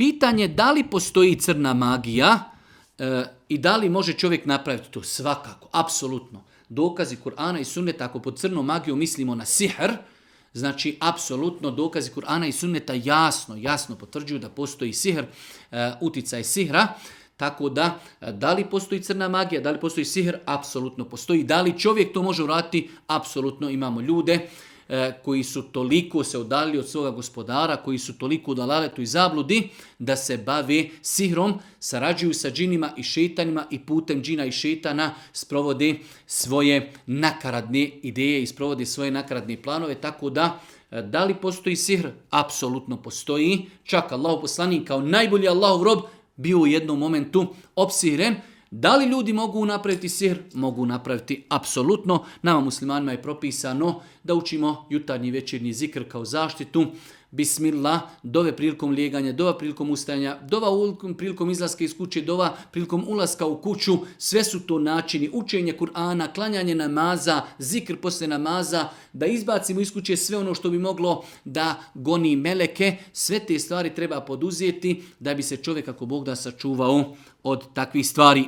pitanje da li postoji crna magija i da li može čovjek napraviti to? Svakako, apsolutno. Dokazi Kur'ana i sunneta, ako pod crnom magijom mislimo na sihr, znači apsolutno dokazi Kur'ana i sunneta jasno potvrđuju da postoji sihr, uticaj sihra. Tako da li postoji crna magija, da li postoji sihr, apsolutno postoji. Da li čovjek to može uraditi, apsolutno imamo ljude koji su toliko se udalili od svoga gospodara, koji su toliko u dalaletu i zabludi, da se bave sihrom, sarađuju sa džinima i šetanima i putem džina i šetana sprovode svoje nakaradne ideje i sprovode svoje nakaradne planove. Tako da li postoji sihr? Apsolutno postoji. Čak Allahov poslanik kao najbolji Allahov rob bio u jednom momentu opsihren. Da li ljudi mogu napraviti sihr? Mogu napraviti apsolutno. Nama muslimanima je propisano da učimo jutarnji i večernji zikr kao zaštitu. Bismillah, dove prilikom lijeganja, dova prilikom ustajanja, dova prilikom izlaska iz kuće, dova prilikom ulaska u kuću. Sve su to načini učenja Kur'ana, klanjanje namaza, zikr poslije namaza, da izbacimo iz kuće sve ono što bi moglo da goni meleke. Sve te stvari treba poduzeti da bi se čovjek, ako Bog da, sačuvao od takvih stvari.